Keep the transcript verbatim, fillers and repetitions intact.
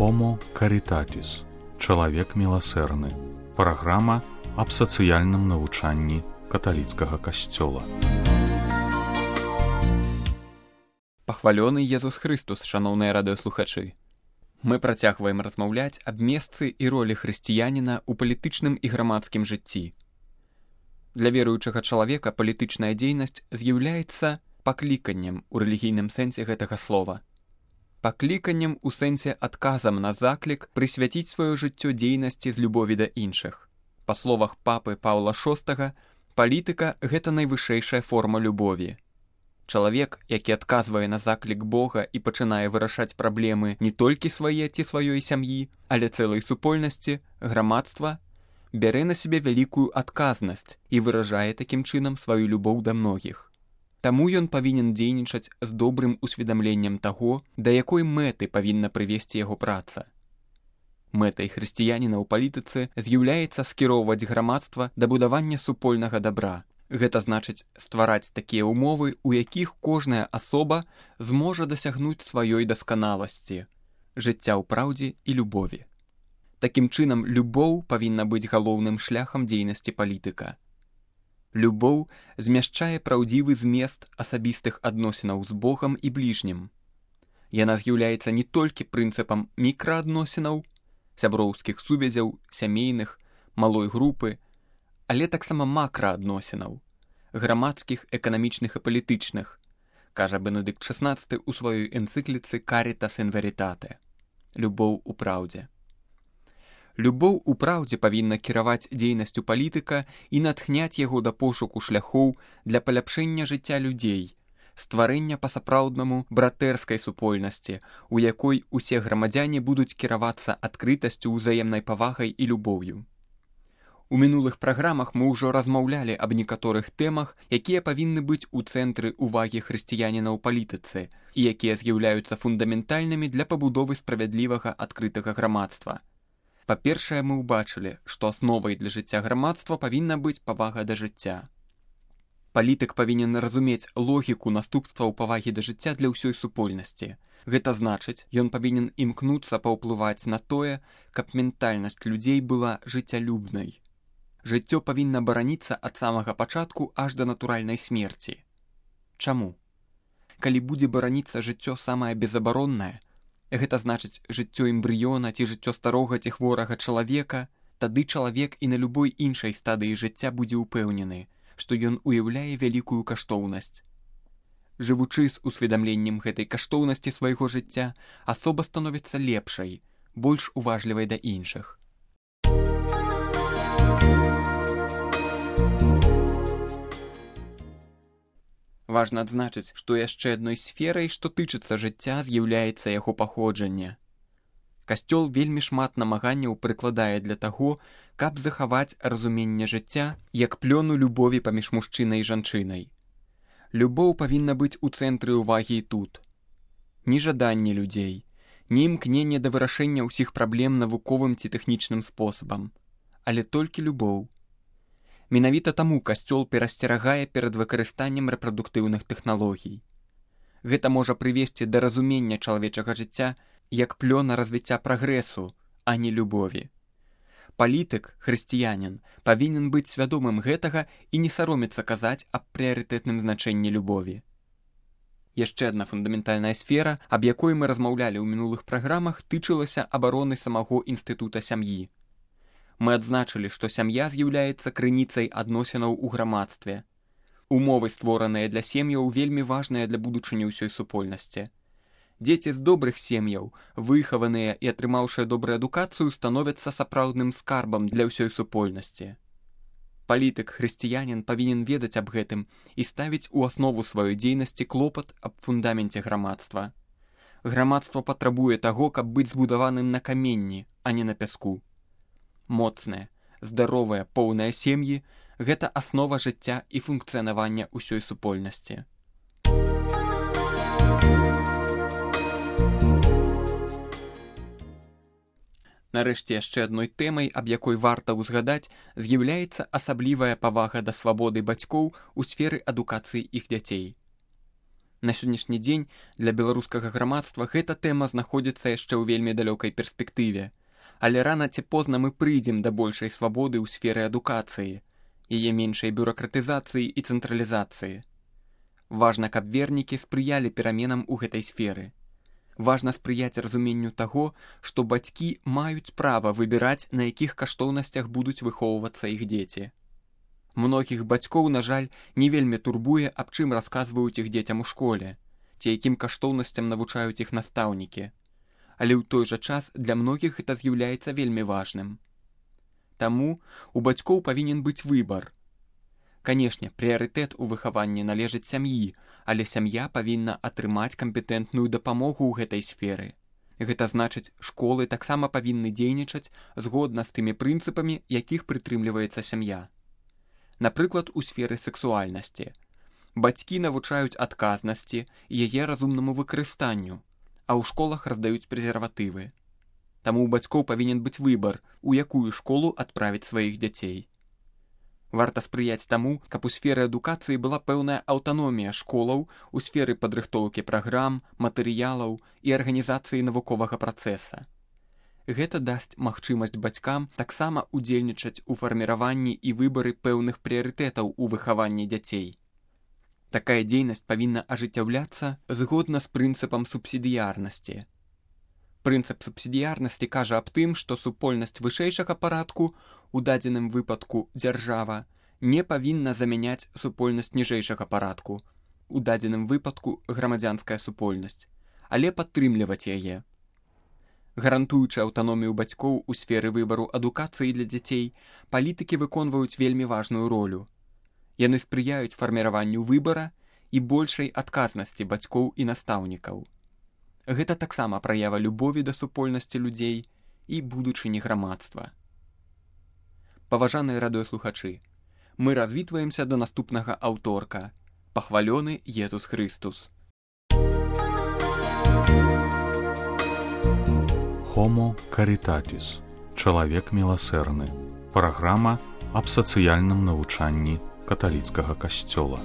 Homo Caritatis. Чалавек міласэрны. Праграма аб сацыяльным навучанні каталіцкага касцёла. Пахвалёны Езус Хрыстус, шаноўныя радыёслухачы. Мы працягваем размаўляць аб месцы і ролі хрысціяніна ў палітычным і грамадскім жыцці. Для веруючага чалавека палітычная дзейнасць з'яўляецца пакліканнем у рэлігійным сэнсе гэтага слова. Пакліканнем у сэнсе адказам на заклік прысвяціць сваё жыццё дзейнасці з любові да іншых. Па словах папы Паўла шостага, палітыка – гэта найвышэйшая форма любові. Чалавек, які адказвае на заклік Бога і пачынае вырашаць праблемы не толькі свае ці сваёй сям'і, але цэлай супольнасці, грамадства, бярэ на сябе вялікую адказнасць і выражае такім чынам сваю любоў да многіх. Таму ён павінен дзейнічаць з добрым усведамленнем таго, да якой мэты павінна прывесці яго праца. Мэтай хрысціяніна ў палітыцы з'яўляецца скіроўваць грамадства да будавання супольнага дабра. Гэта значыць ствараць такія ўмовы, у якіх кожная асоба зможа дасягнуць сваёй дасканаласці, жыцця ў праўдзе і любові. Такім чынам, любоў павінна быць галоўным шляхам дзейнасці палітыка. Любоў змяшчае праўдзівы змест асабістых адносінаў з Богам і бліжнім. Яна з'яўляецца не толькі прынцыпам мікраадносінаў, сяброўскіх сувязяў, сямейных, малой групы, але таксама макраадносінаў, грамадскіх, эканамічных і палітычных, кажа Бенедыкт шаснаццаты ў сваёй энцыкліцы «Caritas in veritate» – «Любоў у праўдзе». Любоў у праўдзе павінна кіраваць дзейнасцю палітыка і натхняць яго да пошуку шляхоў для паляпшэння жыцця людзей, стварэння па-сапраўднаму братэрскай супольнасці, у якой усе грамадзяне будуць кіравацца адкрытасцю, узаемнай павагай і любоўю. У мінулых праграмах мы ўжо размаўлялі аб некаторых тэмах, якія павінны быць у цэнтры ўвагі хрысціяніна ў палітыцы і якія з'яўляюцца фундаментальнымі для пабудовы справядлівага адкрытага грамадства. Па-першае, мы ўбачылі, што асновай для жыцця грамадства павінна быць павага да жыцця. Палітык павінен разумець логіку наступстваў павагі да жыцця для ўсёй супольнасці. Гэта значыць, ён павінен імкнуцца паўплываць на тое, каб ментальнасць людзей была жыццялюбнай. Жыццё павінна бараніцца ад самага пачатку аж да натуральнай смерці. Чаму? Калі будзе бараніцца жыццё самае безабароннае, гэта значыць жыццё эмбрыёна ці жыццё старога ці хворага чалавека, тады чалавек і на любой іншай стадыі жыцця будзе ўпэўнены, што ён уяўляе вялікую каштоўнасць. Жывучы з усведамленнем гэтай каштоўнасці свайго жыцця, асоба становіцца лепшай, больш уважлівай да іншых. Важна адзначыць, што яшчэ адной сферай, што тычыцца жыцця, з'яўляецца яго паходжанне. Касцёл вельмі шмат намаганняў прыкладае для таго, каб захаваць разуменне жыцця як плёну любові паміж мужчынай і жанчынай. Любоў павінна быць у цэнтры ўвагі і тут. Ні жаданне людзей, ні імкненне да вырашэння ўсіх праблем навуковым ці тэхнічным спосабам, але толькі любоў. Менавіта таму касцёл перасцерагае перад выкарыстаннем рэпрадуктыўных тэхналогій. Гэта можа прывесці да разумення чалавечага жыцця як плёна развіцця прагрэсу, а не любові. Палітык, хрысціянін, павінен быць свядомым гэтага і не саромецца казаць аб прыярытэтным значэнні любові. Яшчэ адна фундаментальная сфера, аб якой мы размаўлялі ў мінулых праграмах, тычылася абароны самого інстытута сям'і. Мы адзначылі, што сям'я з'яўляецца крыніцай адносінаў у грамадстве. Умовы, створаныя для сем'яў, вельмі важныя для будучыні ўсёй супольнасці. Дзеці з добрых сем'яў, выхаваныя і атрымаўшыя добрую адукацыю, становяцца сапраўдным скарбам для ўсёй супольнасці. Палітык, хрысціянін павінен ведаць аб гэтым і ставіць у аснову сваёй дзейнасці клопат аб фундаменце грамадства. Грамадства патрабуе таго, каб быць збудаваным на каменні, а не на пяску. Моцныя, здаровыя, поўныя сем'і – гэта аснова жыцця і функцыянавання ўсёй супольнасці. Нарэшце, яшчэ адной тэмай, аб якой варта ўзгадаць, з'яўляецца асаблівая павага да свабоды бацькоў у сферы адукацыі іх дзяцей. На сённяшні дзень для беларускага грамадства гэта тэма знаходзіцца яшчэ ў вельмі далёкай перспектыве, але рана ці позна мы прыйдзем да большай свабоды ў сферы адукацыі, яе меншай бюракратызацыі і цэнтралізацыі. Важна, каб вернікі спрыялі пераменам у гэтай сферы. Важна спрыяць разуменню таго, што бацькі маюць права выбіраць, на якіх каштоўнасцях будуць выхоўвацца іх дзеці. Многіх бацькоў, на жаль, не вельмі турбуе, аб чым расказваюць іх дзецям у школе, ці якім каштоўнасцям навучаюць іх настаўнікі. Але ў той жа час для многіх гэта з'яўляецца вельмі важным. Таму у бацькоў павінен быць выбар. Канешне, прыярытэт у выхаванні належыць сям'і, але сям'я павінна атрымаць кампетэнтную дапамогу ў гэтай сферы. Гэта значыць, школы таксама павінны дзейнічаць згодна з тымі прынцыпамі, якіх прытрымліваецца сям'я. Напрыклад, у сферы сексуальнасці. Бацькі навучаюць адказнасці і яе разумнаму выкарыстанню, а ў школах раздаюць прэзерватывы. Таму ў бацькоў павінен быць выбар, у якую школу адправіць сваіх дзяцей. Варта спрыяць таму, каб у сферы адукацыі была пэўная аўтаномія школаў у сферы падрыхтоўкі праграм, матэрыялаў і арганізацыі навуковага працэса. Гэта дасць магчымасць бацькам таксама удзельнічаць у фарміраванні і выбары пэўных прыярытэтаў у выхаванні дзяцей. Такая дзейнасць павінна ажыццяўляцца згодна з прынцыпам субсідыярнасці. Прынцып субсідыярнасці кажа аб тым, што супольнасць вышэйшага парадку, у дадзеным выпадку дзяржава, не павінна замяняць супольнасць ніжэйшага парадку, у дадзеным выпадку грамадзянская супольнасць, але падтрымліваць яе. Гарантуючы аўтаномію бацькоў у сферы выбару адукацыі для дзяцей, палітыкі выконваюць вельмі важную ролю. Яны спрыяюць фарміраванню выбара і большай адказнасці бацькоў і настаўнікаў. Гэта таксама праява любові да супольнасці людзей і будучыні грамадства. Паважаныя радыёслухачы, мы развітваемся да наступнага аўторка. Пахвалёны Езус Хрыстус. Homo Caritatis. Чалавек міласэрны. Праграма аб сацыяльным навучанні каталіцкага касцёла.